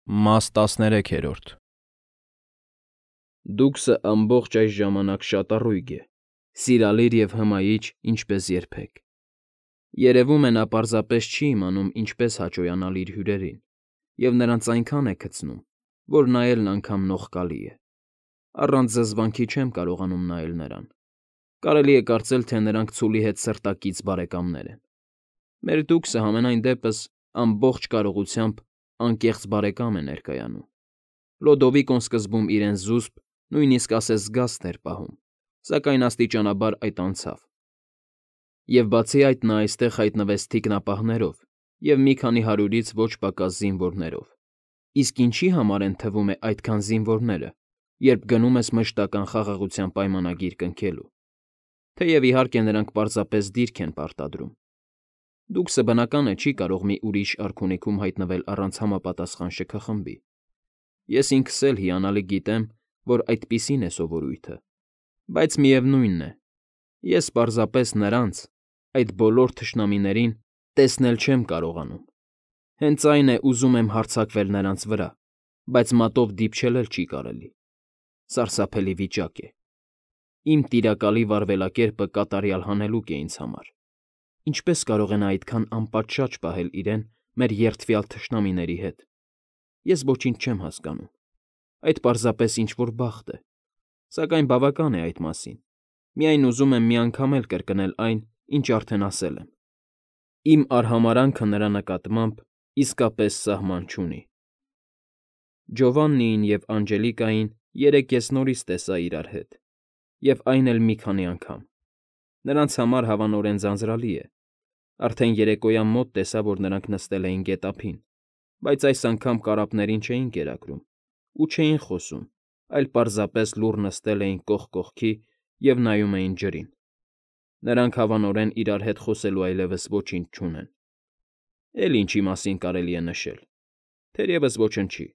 Մաս 13 Դուքսը ամբողջ այս ժամանակ շատ առույգ է, սիրալիր և հմայիչ, ինչպես երբեք. երևում է նա պարզապես չի իմանում ինչպես հաճոյանալ իր հյուրերին և նրանց այնքան է քցնում, որ նայելն անգամ նողկալի է, առանց զզվանքի չեմ կարողանում նայել նրան, կարելի է կարծել, թե նրանք ցուլի հետ սրտակից բարեկամներ են, մեր դուքսը համենայն դեպս ամբողջ կարողությամբ անկեղծ բարեկամ է ներկայանում, Լոդովիկոն սկզբում իրեն զուսպ, նույնիսկ ասես զգաստ էր պահում, սակայն աստիճանաբար այդ անցավ, և բացի այդ նա այստեղ հայտնվեց թիկնապահներով և մի քանի հարյուրից ոչ պակաս զինվորներով, իսկ ինչի համար են թվում է այդքան զինվորները, երբ գնում ես մշտական խաղաղության պայմանագիր կնքելու, թեև իհարկե նրանք պարզապես դիրք են պարտադրում, դուքսը բնական է չի կարող մի ուրիշ արքունիքում հայտնվել առանց համապատասխան շքխմբի, ես ինքս էլ հիանալի գիտեմ, որ այդպիսին է սովորույթը, բայց միևնույն է, ես պարզապես նրանց, այդ բոլոր թշնամիներին տեսնել չեմ կարողանում, հենց այն է ուզում եմ հարձակվել նրանց վրա, բայց մատով դիպչել էլ չի կարելի, սարսափելի վիճակ է, իմ տիրակալի վարվելակերպը կատարյալ հանելուկ է ինձ համար, ինչպես կարող է նա այդքան անպատշաճ պահել իրեն մեր երդվյալ թշնամիների հետ, ես ոչինչ չեմ հասկանում, այդ պարզապես ինչ-որ բախտ է, սակայն բավական է այդ մասին, միայն ուզում եմ մի անգամ էլ կրկնել այն, ինչ արդեն ասել եմ, իմ արհամարհանքը նրա նկատմամբ իսկապես սահման չունի։ Ջովաննիին և Անջելիկային երեկ ես նորից տեսա իրար հետ, և այն էլ մի քանի անգամ, նրանց համար հավանորեն ձանձրալի է, արդեն երեկոյան մոտ տեսա, որ նրանք նստել էին գետափին, բայց այս անգամ կարապներին չէին կերակրում ու չէին խոսում, այլ պարզապես լուռ նստել էին կողք կողքի և նայում էին ջրին, նրանք հավանորեն իրար հետ խոսելու այլևս ոչինչ չունեն, էլ ինչի մասին կարելի է նշել, թերևս ոչնչի,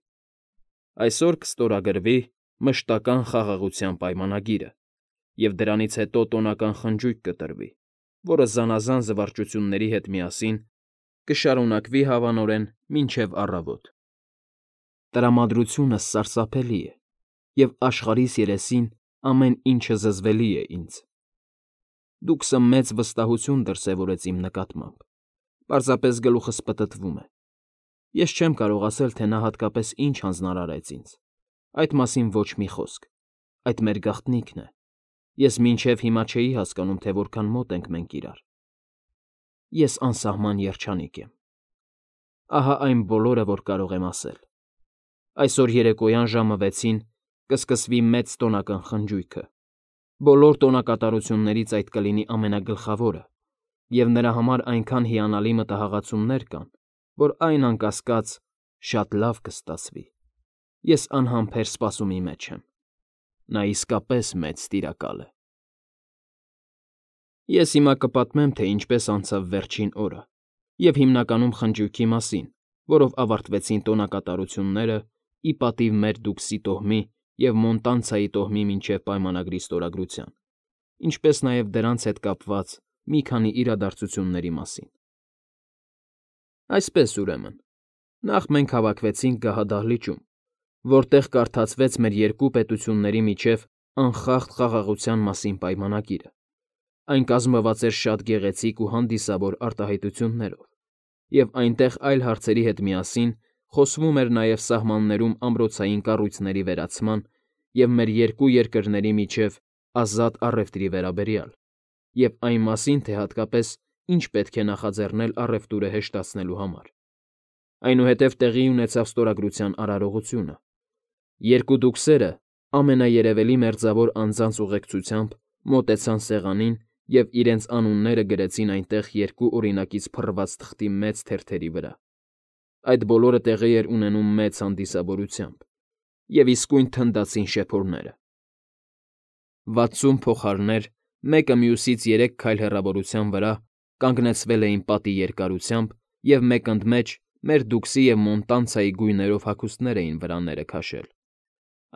այսօր կստորագրվի մշտական խաղաղության պայմանագիրը և դրանից հետո տոնական խնջույք կտրվի, որը զանազան զվարճությունների հետ միասին կշարունակվի հավանորեն մինչև առավոտ։ Տրամադրությունս սարսափելի է, և աշխարհիս երեսին ամեն ինչը զզվելի է ինձ։ Դուքսը մեծ վստահություն դրսևորեց իմ նկատմամբ, պարզապես գլուխս պտտվում է։ Ես չեմ կարող ասել, թե նա հատկապես ինչ հանձնարարեց ինձ, այդ մասին ոչ մի խոսք, այդ մեր գաղտնիքն է, ես մինչև հիմա չէի հասկանում, թե որքան մոտ ենք մենք իրար։ Ես անսահման երջանիկ եմ։ Ահա այն բոլորը, որ կարող եմ ասել։ Այսօր երեկոյան ժամը 6-ին կսկսվի մեծ տոնական խնջույքը, բոլոր տոնակատարություններից այդ կլինի ամենագլխավորը, և նրա համար այնքան հիանալի մտահաղացումներ կան, որ այն անկասկած շատ լավ կստացվի, ես անհամբեր սպասումի մեջ եմ, նա իսկապես մեծ տիրակալ է։ Ես հիմա կպատմեմ, թե ինչպես անցավ վերջին օրը և հիմնականում խնջույքի մասին, որով ավարտվեցին տոնակատարությունները ի պատիվ մեր դուքսի տոհմի և Մոնտանցայի տոհմի միջև պայմանագրի ստորագրության, ինչպես նաև դրանց հետ կապված մի քանի իրադարձությունների մասին։ Այսպես, ուրեմն, նախ մենք հավաքվեցինք գահադահլիճում, որտեղ կարդացվեց մեր երկու պետությունների միջև անխախտ խաղաղության մասին պայմանագիրը, այն կազմված էր շատ գեղեցիկ ու հանդիսավոր արտահայտություններով, և այնտեղ այլ հարցերի հետ միասին խոսվում էր նաև սահմաններում ամրոցային կառույցների վերացման և մեր երկու երկրների միջև ազատ առևտրի վերաբերյալ, և այն մասին, թե հատկապես ինչ պետք է նախաձեռնել առևտուրը հեշտացնելու համար։ Այնուհետև տեղի ունեցավ ստորագրության արարողությունը։ Երկու դուքսերը ամենաերևելի մերձավոր անձանց ուղեկցությամբ մոտեցան սեղանին և իրենց անունները գրեցին այնտեղ երկու օրինակից փռված թղթի մեծ թերթերի վրա։ Այդ բոլորը տեղի էր ունենում մեծ հանդիսավորությամբ, և իսկույն թնդացին շեփորները։ 60 փողահարներ մեկը մյուսից 3 քայլ հեռավորության վրա կանգնեցվել էին պատի երկարությամբ և մեկընդմեջ մեր դուքսի և Մոնտանցայի գույներով հագուստներ էին վրաները քաշել։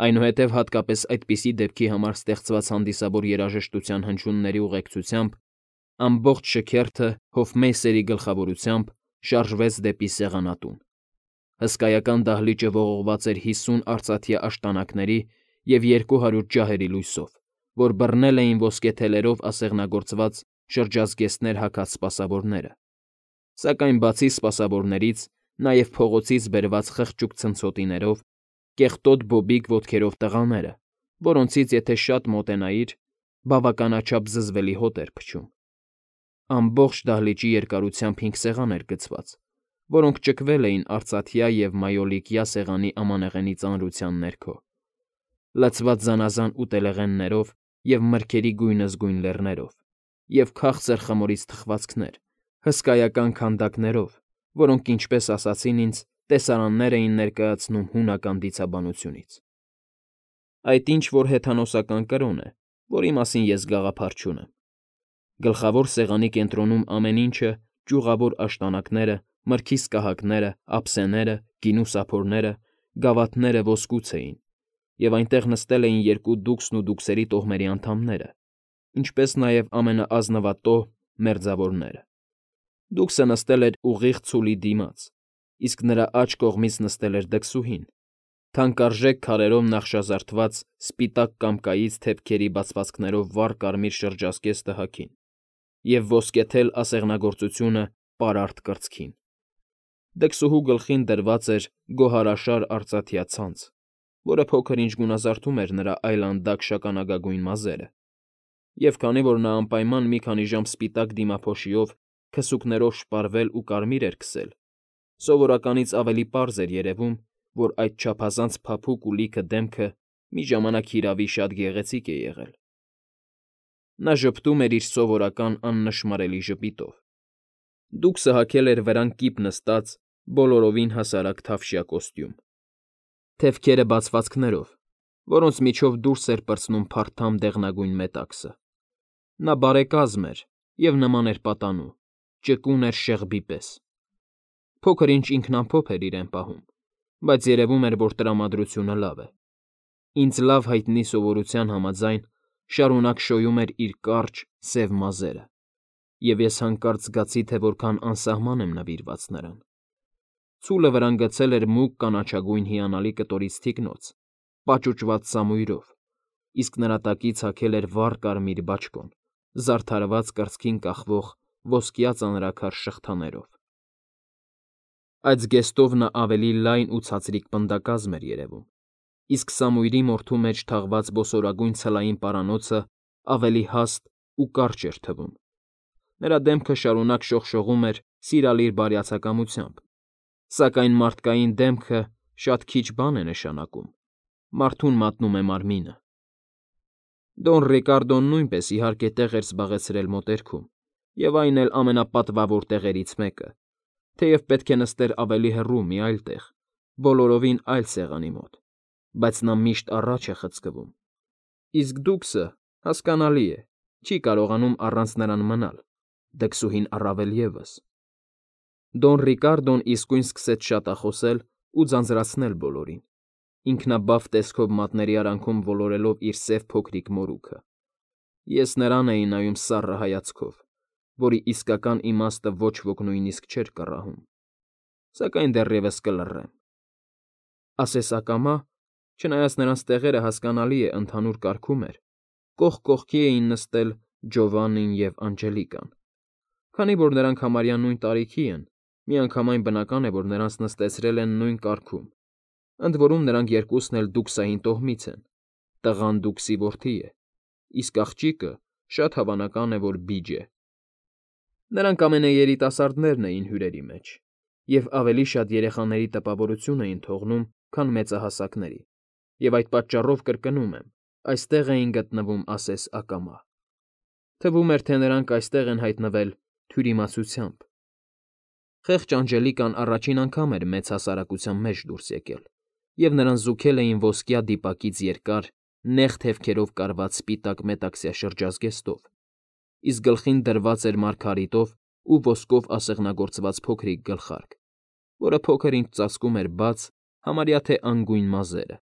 Այնուհետև հատկապես այդպիսի դեպքի համար ստեղծված հանդիսավոր երաժշտության հնչյունների ուղեկցությամբ ամբողջ շքերթը հոֆմեյստերի գլխավորությամբ շարժվեց դեպի սեղանատուն։ Հսկայական դահլիճը ողողված էր 50 արծաթյա աշտանակների և 200 ջահերի լույսով, որ բռնել էին ոսկեթելերով ասեղնագործված շրջազգեստներ հագած սպասավորները, սակայն բացի սպասավորներից նաև փողոցից բերված խղճուկ ցնցոտիներով, կեղտոտ բոբիկ ոտքերով տղաները, որոնցից եթե շատ մոտենայիր, բավականաչափ զզվելի հոտ էր փչում։ Ամբողջ դահլիճի երկարությամբ 5 սեղան էր գցված, որոնք ճկվել էին արծաթյա և մայոլիկյա սեղանի ամանեղենի ծանրության ներքո, լցված զանազան ուտելեղեններով և մրգերի գույնզգույն լեռներով, և քաղցր խմորից թխվածքներ, հսկայական քանդակներով, որոնք, ինչպես ասացին ինձ, տեսարաններ էին ներկայացնում հունական դիցաբանությունից։ Այդ ինչ֊որ հեթանոսական կրոն է, որի մասին ես գաղափար չունեմ։ Գլխավոր սեղանի կենտրոնում ամեն ինչը, ճյուղավոր աշտանակները, մրգի սկահակները, ափսեները, գինու սափորները, գավաթները ոսկուց էին, և այնտեղ նստել էին 2 դուքսն ու դուքսերի տոհմերի անդամները, ինչպես նաև ամենաազնվատոհ մերձավորները։ Դուքսը նստել էր ուղիղ ցուլի դիմաց, իսկ նրա աջ կողմից նստել էր դքսուհին, թանկարժեք քարերով նախշազարդված սպիտակ կամկայից թևքերի բացվածքներով վառ կարմիր շրջազգեստը հագին և ոսկեթել ասեղնագործությունը պարարտ կրծքին։ Դքսուհու գլխին դրված էր գոհարաշար արծաթյա ցանց, որը փոքր-ինչ գունազարդում էր նրա այլանդակ շագանակագույն մազերը, և քանի որ նա անպայման մի քանի ժամ սպիտակ դիմափոշիով քսուկներով շպարվել ու կարմիր էր քսել, սովորականից ավելի պարզ էր երևում, որ այդ չափազանց փափուկ ու լիքը դեմքը մի ժամանակ հիրավի շատ գեղեցիկ է եղել։ Նա ժպտում էր իր սովորական աննշմարելի ժպիտով։ Դուքսը հագել էր վրան կիպ նստած բոլորովին հասարակ թավշյա կոստյում, թևքերը բացվածքներով, որոնց միջով դուրս էր պրծնում փարթամ դեղնագույն մետաքսը։ Նա բարեկազմ էր և նման էր պատանու, ճկուն էր շեղբի պես։ Փոքր-ինչ ինքնամփոփ էր իրեն պահում, բայց երևում էր, որ տրամադրությունը լավ է։ Ինձ լավ հայտնի սովորության համաձայն շարունակ շոյում էր իր կարճ, սև մազերը, և ես հանկարծ զգացի, թե որքան անսահման եմ նվիրված նրան։ Ցուլը վրան գցել էր մուգ կանաչագույն հիանալի կտորից թիկնոց, պաճուճված սամույրով, իսկ նրա տակից հագել էր վառ կարմիր բաճկոն, զարդարված կրծքին կախվող ոսկյա ծանրաքար շղթաներով։ Այդ զգեստով նա ավելի լայն ու ցածրիկ պնդակազմ էր երևում, իսկ սամույրի մորթու մեջ թաղված բոսորագույն ցլային պարանոցը ավելի հաստ ու կարճ էր թվում։ Նրա դեմքը շարունակ շողշողում էր սիրալիր բարյացակամությամբ, սակայն մարդկային դեմքը շատ քիչ բան է նշանակում, մարդուն մատնում է մարմինը։ Դոն Ռիկարդոն նույնպես իհարկե տեղ էր զբաղեցրել մոտերքում, և այն էլ ամենապատվավոր տեղերից մեկը, թեև պետք է նստեր ավելի հեռու մի այլ տեղ, բոլորովին այլ սեղանի մոտ, բայց նա միշտ առաջ է խցկվում։ Իսկ դուքսը, հասկանալի է, չի կարողանում առանց նրան մնալ, դքսուհին առավել ևս։ Դոն Ռիկարդոն իսկույն սկսեց շատախոսել ու ձանձրացնել բոլորին, ինքնաբավ տեսքով մատների արանքում ոլորելով իր սև փոքրիկ մորուքը։ Ես նրան էի նայում սառը հայացքով, որի իսկական իմաստը ոչ ոք նույնիսկ չէր կռահում, սակայն դեռևս կլռեմ։ Ասես ակամա, չնայած նրանց տեղերը, հասկանալի է, ընդհանուր կարգում էր, կողք կողքի էին նստել Ջովանին և Անջելիկան։ Քանի որ նրանք համարյա նույն տարիքի են, միանգամայն բնական է, որ նրանց նստեցրել են նույն կարգում, ընդ որում նրանք երկուսն էլ դուքսային տոհմից են, տղան դուքսի որդի է, իսկ աղջիկը շատ հավանական է, որ բիջ է։ Նրանք ամենաերիտասարդներն էին հյուրերի մեջ և ավելի շատ երեխաների տպավորություն էին թողնում, քան մեծահասակների, և այդ պատճառով կրկնում եմ, այստեղ էին գտնվում ասես ակամա։ Թվում էր, թե նրանք այստեղ են հայտնվել թյուրիմացությամբ։ Խեղճ Անջելիկան առաջին անգամ էր մեծ հասարակության մեջ դուրս եկել, և նրան զուգել էին ոսկյա դիպակից երկար, նեղ թևքերով կարված սպիտակ մետաքսյա շրջազգեստով, իսկ գլխին դրված էր մարգարիտով ու ոսկով ասեղնագործված փոքրիկ գլխարկ, որը փոքր-ինչ ծածկում էր բաց, համարյա թե անգույն մազերը։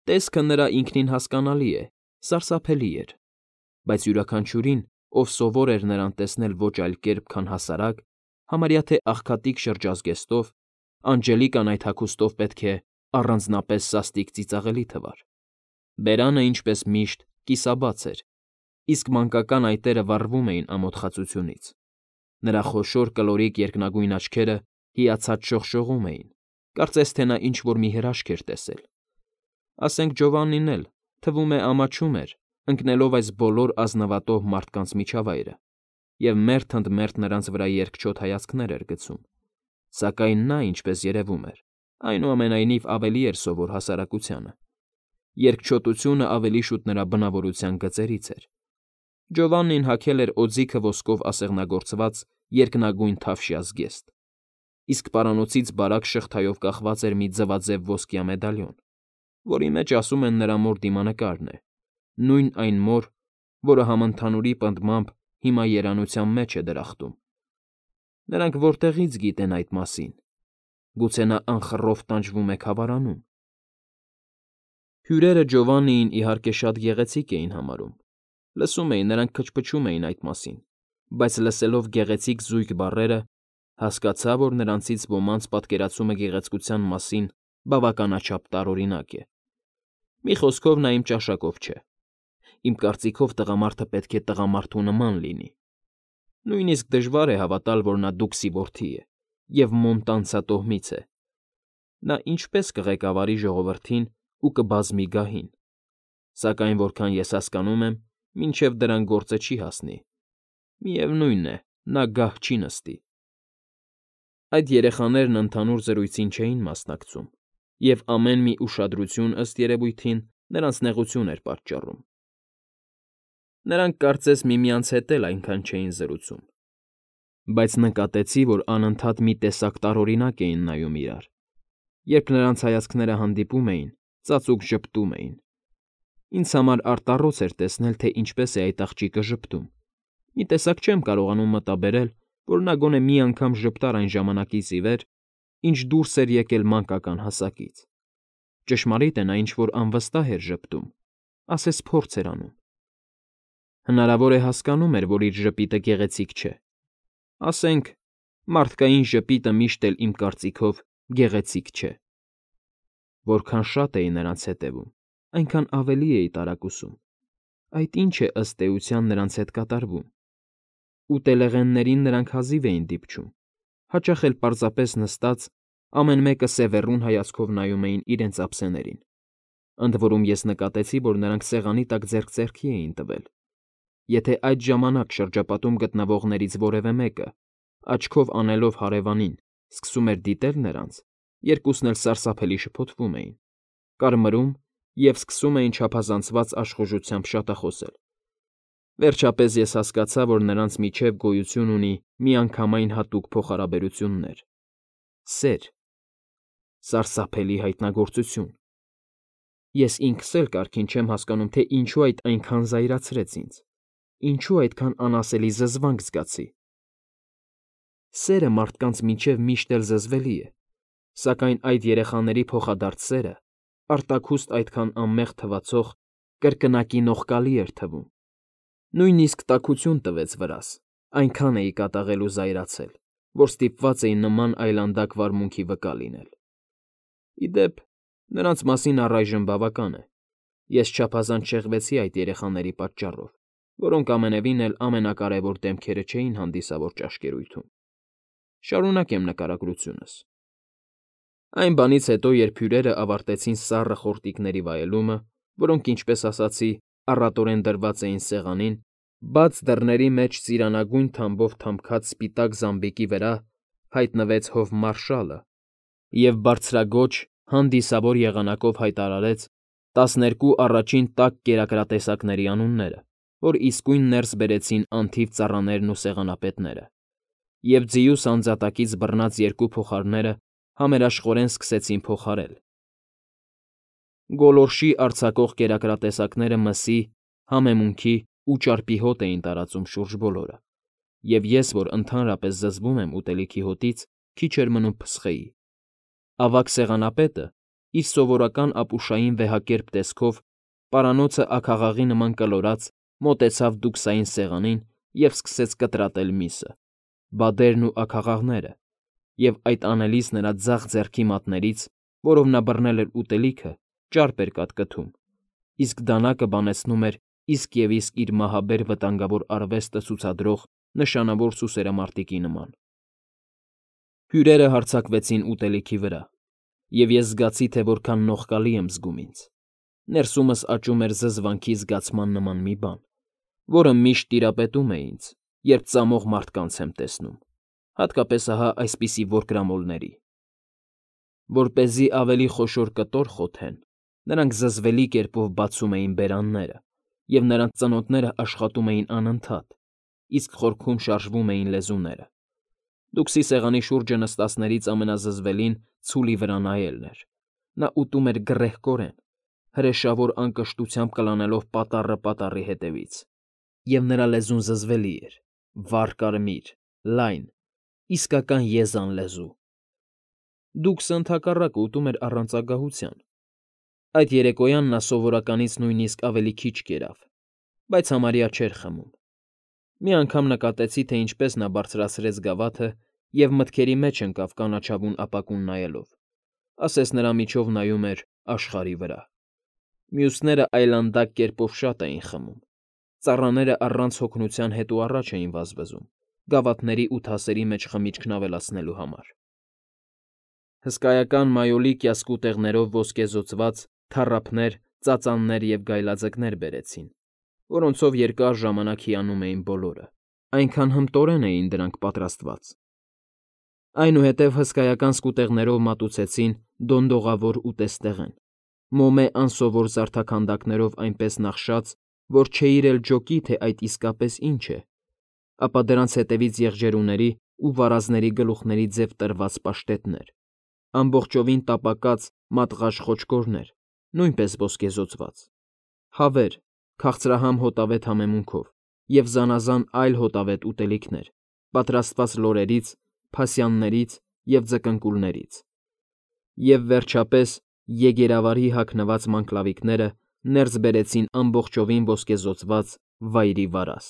Տեսքը նրա ինքնին հասկանալի է, սարսափելի էր, բայց յուրաքանչյուրին, ով սովոր էր նրան տեսնել ոչ այլ կերպ, քան հասարակ, համարյա թե աղքատիկ շրջազգեստով, Անջելիկան այդ հագուստով պետք է առանձնապես սաստիկ ծիծաղելի թվար։ Բերանը, ինչպես միշտ, կիսաբաց էր, իսկ մանկական այտերը վառվում էին ամոթխածությունից։ Նրա խոշոր կլորիկ երկնագույն աչքերը հիացած շողշողում էին, կարծես թե նա ինչ֊որ մի հրաշք էր տեսել։ Ասենք Ջովաննին էլ, թվում է, ամաչում էր, ընկնելով այս բոլոր ազնվատոհ մարդկանց միջավայրը, և մերթ ընդ մերթ նրանց վրա երկչոտ հայացքներ էր գցում, սակայն նա, ինչպես երևում էր, այնուամենայնիվ ավելի էր սովոր հասարակությանը։ Երկչոտությունը ավելի շուտ նրա բնավորության գծերից էր։ Ջովաննին հագել էր օձիքը ոսկով ասեղնագործված երկնագույն թավշյա զգեստ, իսկ պարանոցից բարակ շղթայով կախված էր մի ձվաձև ոսկյա մեդալիոն, որի մեջ, ասում են, նրա մոր դիմանկարն է, նույն այն մոր, որը համընդհանուրի պնդմամբ հիմա երանության մեջ է դրախտում։ Նրանք որտեղի՞ց գիտեն այդ մասին։ Գուցե նա անխռով տանջվում է քավարանում։ Հյուրերը Ջովաննիին, իհարկե, շատ գեղեցիկ էին համարում։ Լսում էին, նրանք քչփչում էին այդ մասին, բայց լսելով գեղեցիկ զույգ բառերը, հասկացա, որ նրանցից ոմանց պատկերացումը գեղեցկության մասին բավականաչափ տարօրինակ է։ Մի խոսքով, նա իմ ճաշակով չէ։ Իմ կարծիքով տղամարդը պետք է տղամարդու նման լինի։ Նույնիսկ դժվար է հավատալ, որ նա դուքսի որդի է և Մոնտանցա տոհմից է։ Նա ինչպես կղեկավարի ժողովրդին ու կբազմի գահին, սակայն որքան ես հասկանում եմ, մինչև դրան գործը չի հասնի։ Միևնույն է, նա գահ չի նստի։ Այդ երեխաներն ընդհանուր զրույցին չէին մասնակցում, և ամեն մի ուշադրություն, ըստ երևույթին, նրանց նեղություն էր պատճառում։ Նրանք կարծես միմյանց հետ էլ այնքան չէին զրուցում, բայց նկատեցի, որ անընդհատ մի տեսակ տարօրինակ էին նայում իրար։ Երբ նրանց հայացքները հանդիպում էին, ծածուկ ժպտում էին։ Ինձ համար արտառոց էր տեսնել, թե ինչպես է այդ աղջիկը ժպտում։ Մի տեսակ չեմ կարողանում մտաբերել, որ նա գոնե մի անգամ ժպտար այն ժամանակից ի վեր, ինչ դուրս էր եկել մանկական հասակից։ Ճշմարիտ է, նա ինչ֊որ անվստահ էր ժպտում, ասես փորձ էր անում։ Հնարավոր է հասկանում էր, որ իր ժպիտը գեղեցիկ չէ։ Ասենք, մարդկային ժպիտը միշտ էլ իմ կարծիքով գեղեցիկ չէ։ Որքան շատ էի նրանց հետևում, այնքան ավելի էի տարակուսում։ Այդ ինչ է ըստ էության նրանց հետ կատարվում։ Ուտելեղեններին նրանք հազիվ էին դիպչում, հաճախ էլ պարզապես նստած, ամեն մեկը սևեռուն հայացքով նայում էին իրենց ափսեներին։ Ընդ որում ես նկատեցի, որ նրանք սեղանի տակ ձեռք ձեռքի էին տվել։ Եթե այդ ժամանակ շրջապատում գտնվողներից որևէ մեկը, աչքով անելով հարևանին, սկսում էր դիտել նրանց, երկուսն էլ սարսափելի շփոթվում էին, կարմրում և սկսում էին չափազանցված աշխուժությամբ շատախոսել։ Վերջապես ես հասկացա, որ նրանց միջև գոյություն ունի միանգամայն հատուկ փոխհարաբերություններ։ Սեր։ Սարսափելի հայտնագործություն։ Ես ինքս էլ կարգին չեմ հասկանում, թե ինչու այդ այնքան զայրացրեց ինձ, ինչու այդքան անասելի զզվանք զգացի։ Սերը մարդկանց միջև միշտ էլ զզվելի է, սակայն այդ երեխաների փոխադարձ սերը, արտաքուստ այդքան անմեղ թվացող, կրկնակի նողկալի էր թվում։ Նույնիսկ տաքություն տվեց վրաս, այնքան էի կատաղել ու զայրացել, որ ստիպված էի նման այլանդակ վարմունքի վկա լինել։ Ի դեպ, նրանց մասին առայժմ բավական է։ Ես չափազանց շեղվեցի այդ երեխաների պատճառով, որոնք ամենևին էլ ամենակարևոր դեմքերը չէին հանդիսավոր ճաշկերույթում։ Շարունակեմ նկարագրությունս։ Այն բանից հետո, երբ հյուրերը ավարտեցին սառը խորտիկների վայելումը, որոնք, ինչպես ասացի, առատորեն դրված էին սեղանին, բաց դռների մեջ ծիրանագույն թամբով թամքած սպիտակ զամբիկի վրա հայտնվեց հովմարշալը և բարձրաձոչ, հանդիսավոր եղանակով հայտարարեց 12 առաջին տաք կերակրատեսակների անունները, որ իսկույն ներս բերեցին անթիվ ծառաներն ու սեղանապետները, և ձիուս անձատակից բռնած երկու փողահարները համերաշխորեն սկսեցին փողահարել։ Գոլորշի արձակող կերակրատեսակները մսի, համեմունքի ու ճարպի հոտ էին տարածում շուրջ բոլորը, և ես, որ ընդհանրապես զզվում եմ ուտելիքի հոտից, քիչ էր մնում փսխեի։ Ավագ սեղանապետը, իր սովորական ապուշային վեհակերպ տեսքով, պարանոցը աքաղաղի նման կլորած, մոտեցավ դուքսային սեղանին և սկսեց կտրատել միսը, բադերն ու աքաղաղները, և այդ անելիս նրա ձախ ձեռքի մատներից, որով նա բռնել էր ուտելիքը, ճարպ էր կատկթում, իսկ դանակը բանեցնում էր իսկ և իսկ իր մահաբեր վտանգավոր արվեստը ցուցադրող նշանավոր սուսերամարտիկի նման։ Հյուրերը հարձակվեցին ուտելիքի վրա, և ես զգացի, թե որքան նողկալի եմ զգում ինձ։ Ներսումս աճում էր զզվանքի զգացման նման մի բան, որը միշտ տիրապետում է ինձ, երբ ծամող մարդկանց եմ տեսնում, հատկապես ահա այսպիսի որկրամոլների։ Որպեսզի ավելի խոշոր կտոր խոթեն, նրանք զզվելի կերպով բացում էին բերանները, և նրանց ծնոտները աշխատում էին անընդհատ, իսկ խորքում շարժվում էին լեզուները։ Դուքսի սեղանի շուրջը նստածներից ամենազզվելին ցուլի վրա նայելն էր։ Նա ուտում էր գռեհկորեն, հրեշավոր անկշտությամբ կլանելով պատառը պատառի հետևից, և նրա լեզուն զզվելի էր, վառ կարմիր, լայն, իսկական եզան լեզու։ Դուքսը, ընդհակառակը, ուտում էր առանց ագահության։ Այդ երեկոյան նա սովորականից նույնիսկ ավելի քիչ կերավ, բայց համարյա չէր խմում։ Մի անգամ նկատեցի, թե ինչպես նա բարձրացրեց գավաթը և մտքերի մեջ ընկավ կանաչավուն ապակուն նայելով, ասես նրա միջով նայում էր աշխարհի վրա։ Մյուսները այլանդակ կերպով շատ էին խմում։ Ծառաները առանց հոգնության հետ ու առաջ էին վազվզում, գավաթների ու թասերի մեջ խմիչքն ավելացնելու համար։ Հսկայական մայոլիկյա սկուտեղներով ոսկեզօծված թառափներ, ծածաններ և գայլաձկներ բերեցին, որոնցով երկար ժամանակ հիանում էին բոլորը, այնքան հմտորեն էին դրանք պատրաստված։ Այնուհետև հսկայական սկուտեղներով մատուցեցին դոնդողավոր ուտեստեղեն, մոմե անսովոր զարդաքանդակներով այնպես նախշած, որ չէիր էլ ջոկի, թե այդ իսկապես ինչ է, ապա դրանց հետևից եղջերուների ու վարազների գլուխների ձև տրված պաշտետներ, ամբողջովին տապակած մատղաշ խոչկորներ, նույնպես ոսկեզօծված, հավեր, քաղցրահամ հոտավետ համեմունքով և զանազան այլ հոտավետ ուտելիքներ, պատրաստված լորերից, փասյաններից և ձկնկուլներից։ Եվ, վերջապես, եգերավարի հագնված մանկլավիկները ներս բերեցին ամբողջովին ոսկեզօծված վայրի վարազ,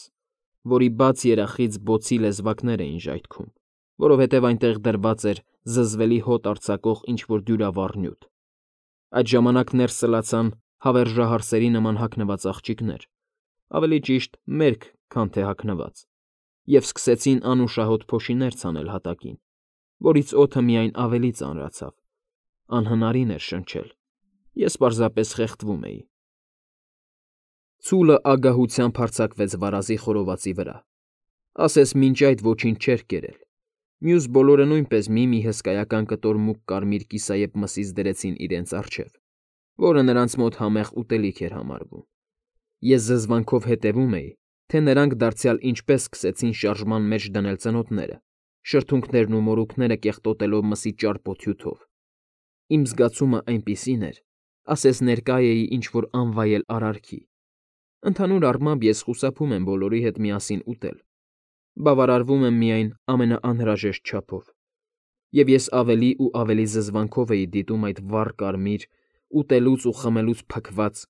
որի բաց երախից բոցի լեզվակներ էին ժայթքում, որովհետև այնտեղ դրված էր զզվելի հոտ արձակող ինչ֊որ դյուրավառ նյութ։ Այդ ժամանակ ներս սլացան հավերժահարսերի նման հագնված աղջիկներ, ավելի ճիշտ մերկ, քան թե հագնված, և սկսեցին անուշահոտ փոշիներ ցանել հատակին, որից օդը միայն ավելի ծանրացավ, անհնարին էր շնչել, ես պարզապես խեղդվում էի։ Ցուլը ագահությամբ հարձակվեց վարազի խորովածի վրա, ասես մինչ այդ ոչինչ չէր կերել։ Մյուս բոլորը նույնպես մի հսկայական կտոր մուգ կարմիր կիսայեպ մսից դրեցին իրենց առջև, որը նրանց մոտ համեղ ուտելիք էր համարվում։ Ես զզվանքով հետևում էի, թե նրանք դարձյալ ինչպես սկսեցին շարժման մեջ դնել ծնոտները, շրթունքներն ու մորուքները կեղտոտելով մսի ճարպոտ հյութով։ Իմ զգացումը այնպիսին էր, ասես ներկա էի ինչ֊որ անվայել արարքի։ Ընդհանուր առմամբ ես խուսափում եմ բոլորի հետ միասին ուտել, բավարարվում եմ միայն ամենաանհրաժեշտ չափով, և ես ավելի ու ավելի զզվանքով էի դիտում այդ վառ կարմիր, ուտելուց ու խմելուց փքված,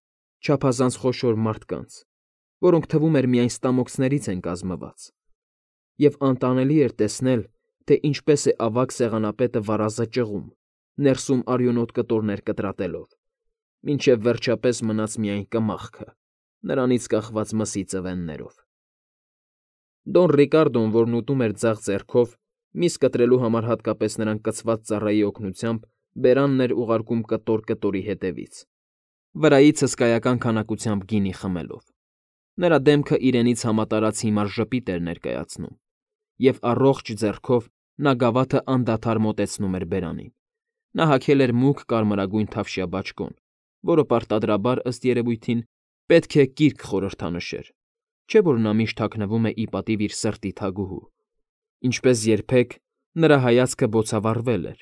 չափազանց խոշոր մարդկանց, որոնք թվում էր միայն ստամոքսներից են կազմված, և անտանելի էր տեսնել, թե ինչպես է ավագ սեղանապետը վարազը ճղում, ներսում արյունոտ կտորներ կտրատելով, մինչև վերջապես մնաց միայն կմախքը, նրանից կախված մսի ծվեններով։ Դոն Ռիկարդոն, որն ուտում էր ձախ ձեռքով, միս կտրելու համար հատկապես նրան կցված ծառայի օգնությամբ, բերանն էր ուղարկում կտոր կտորի հետևից, վրայից հսկայական քանակությամբ գինի խմելով։ Նրա դեմքը իրենից համատարած հիմար ժպիտ էր ներկայացնում, և առողջ ձեռքով նա գավաթը անդադար մոտեցնում էր բերանին։ Նա հագել էր մուգ կարմրագույն թավշյա բաճկոն, որը պարտադրաբար, ըստ երևույթին, պետք է կիրք խորհրդանշեր, չէ՞ որ նա միշտ հագնվում է ի պատիվ իր սրտի թագուհու։ Ինչպես երբեք, նրա հայացքը բոցավառվել էր,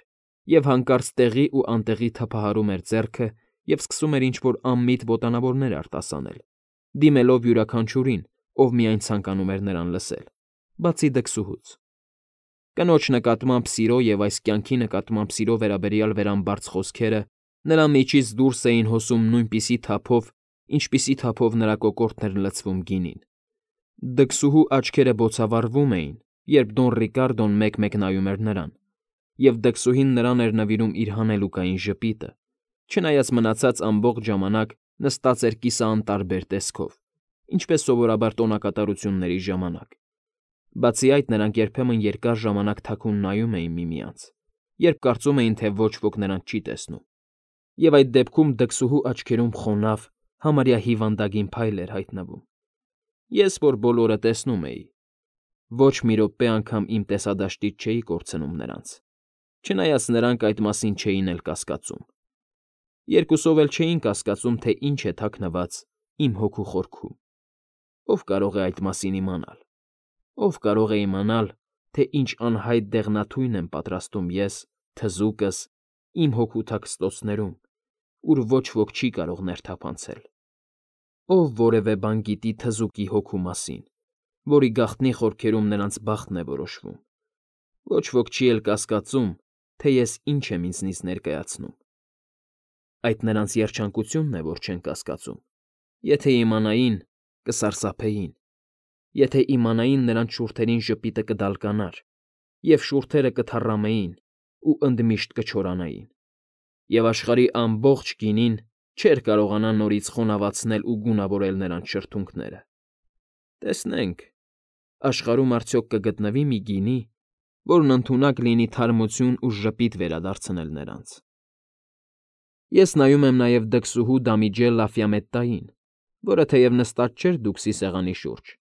և հանկարծ տեղի ու անտեղի թափահարում էր ձեռքը և սկսում էր ինչ֊որ անմիտ ոտանավորներ արտասանել, դիմելով յուրաքանչյուրին, ով միայն ցանկանում էր նրան լսել, բացի դքսուհուց։ Կնոջ նկատմամբ սիրո և այս կյանքի նկատմամբ սիրո վերաբերյալ վերամբարձ խոսքերը նրա միջից դուրս էին հոսում նույնպիսի թափով, ինչպիսի թափով նրա կոկորդն էր լցվում գինին։ Դքսուհու աչքերը բոցավառվում էին, երբ Դոն Ռիկարդոն մեկ֊մեկ նայում էր նրան, և դքսուհին նրան էր նվիրում իր հանելուկային ժպիտը, չնայած մնացած ամբողջ ժամանակ նստած էր կիսաանտարբեր տեսքով, ինչպես սովորաբար տոնակատարությունների ժամանակ։ Բացի այդ, նրանք երբեմն երկար ժամանակ թաքուն նայում էին միմյանց, երբ կարծում էին, թե ոչ ոք նրանց չի տեսնում, և այդ դեպքում դքսուհու աչքերում խոնավ, համարյա հիվանդագին փայլ էր հայտնվում։ Ես, որ բոլորը տեսնում էի, ոչ մի րոպե անգամ իմ տեսադաշտից չէի կորցնում նրանց, չնայած նրանք այդ մասին չէին էլ կասկածում։ Երկուսով էլ չէին կասկածում, թե ինչ է թաքնված իմ հոգու խորքում։ Ով կարող է այդ մասին իմանալ։ Ով կարող է իմանալ, թե ինչ անհայտ դեղնաթույն եմ պատրաստում ես, թզուկս, իմ հոգու թաքստոցներում, ուր ոչ ոք չի կարող ներթափանցել։ Ով որևէ բան գիտի թզուկի հոգու մասին, որի գաղտնի խորքերում նրանց բախտն է որոշվում։ Ոչ ոք չի էլ կասկածում, թե ես ինչ եմ ինձնից ներկայացնում։ Այդ նրանց երջանկությունն է, որ չեն կասկածում։ Եթե իմանային, կսարսափեին։ Եթե իմանային, նրանց շուրթերին ժպիտը կդալկանար, և շուրթերը կթառամեին ու ընդմիշտ կչորանային, և աշխարհի ամբողջ գինին չէր կարողանա նորից խոնավացնել ու գունավորել նրանց շրթունքները։ Տեսնենք, աշխարհում արդյոք կգտնվի մի գինի, որն ընդունակ լինի թարմություն ու ժպիտ վերադարձնել նրանց։ Ես նայում եմ նաև դքսուհու Դամիջել Լաֆյամետտային, որը թեև նստած չէր դուքսի սեղանի շուրջ,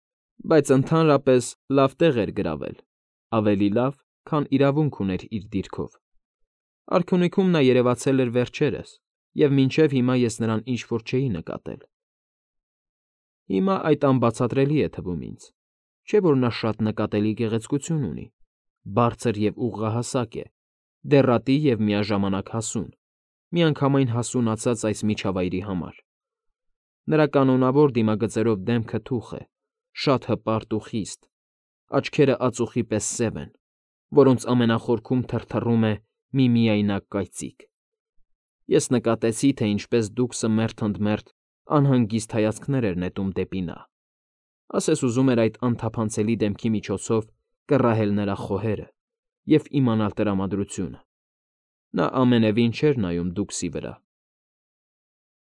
բայց ընդհանրապես լավ տեղ էր գրավել, ավելի լավ, քան իրավունք ուներ իր դիրքով։ Արքունիքում նա երևացել էր վերջերս, և մինչև հիմա ես նրան ինչ֊որ չէի նկատել։ Հիմա այդ անբացատրելի է թվում ինձ, չէ՞ որ նա շատ նկատելի գեղեցկություն ունի, բարձր և ուղղահասակ է, դեռատի և միաժամանակ հասուն, միանգամայն հասունացած այս միջավայրի համար։ Նրա կանոնավոր դիմագծերով դեմքը թուխ է, շատ հպարտ ու խիստ, աչքերը ածուխի պես սև են, որոնց ամենախորքում թրթռում է մի միայնակ կայծիկ։ Ես նկատեցի, թե ինչպես դուքսը մերթ ընդ մերթ անհանգիստ հայացքներ էր նետում դեպի նա, ասես ուզում էր այդ անթափանցելի դեմքի միջոցով կռահել նրա խոհերը և իմանալ տրամադրությունը։ Նա ամենևին չէր նայում դուքսի վրա,